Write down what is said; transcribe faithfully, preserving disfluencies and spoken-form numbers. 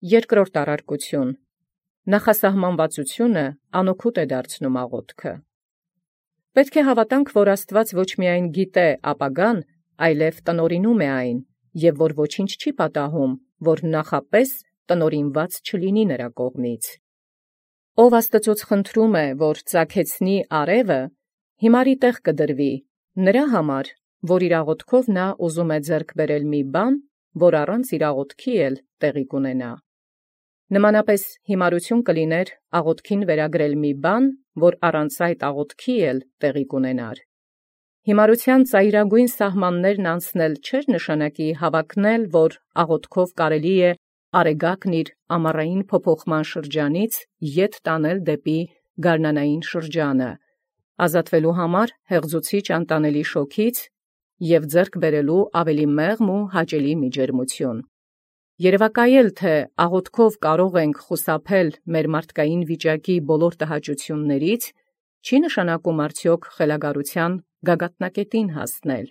Երկրորդ առարկություն. նախասահմանվածությունը անօգուտ է դարձնում աղոթքը։ Պետք է հավատանք, որ Աստված ոչ միայն գիտե ապագան, այլև տնօրինում է այն, և որ ոչինչ չի պատահում, որ նախապես տնօրինված չլինի նրա կողմից։ Ով Աստծուց խնդրում է, որ ծագեցնի արևը, հիմարի տեղ կդրվի, նրա համար, որ իր աղոթքով նա ուզում է ձեռք բերել մի բան, որ առանց իր աղոթքի էլ տեղի կունենա։ Նմանապես հիմարություն կլիներ աղոթքին վերագրել մի բան, որ առանց այդ աղոթքի էլ տեղի կունենար։ Հիմարության ծայրագույն սահմաններն անցնել չէր նշանակի հավակնել, որ աղոթքով կարելի է արեգակն իր ամառային փոփոխման շրջանից ետ տանել դեպի գարնանային շրջանը, ազատվելու համար հեղձուցիչ անտանելի շոգից և ձեռք բերելու ավելի մեղմ ու հաճելի մի ջերմություն։ Երևակայել, թե աղոթքով կարող ենք խուսափել մեր մարդկային վիճակի բոլոր տհաճություններից, չի նշանակում արդյոք խելագարության գագաթնակետին հասնել։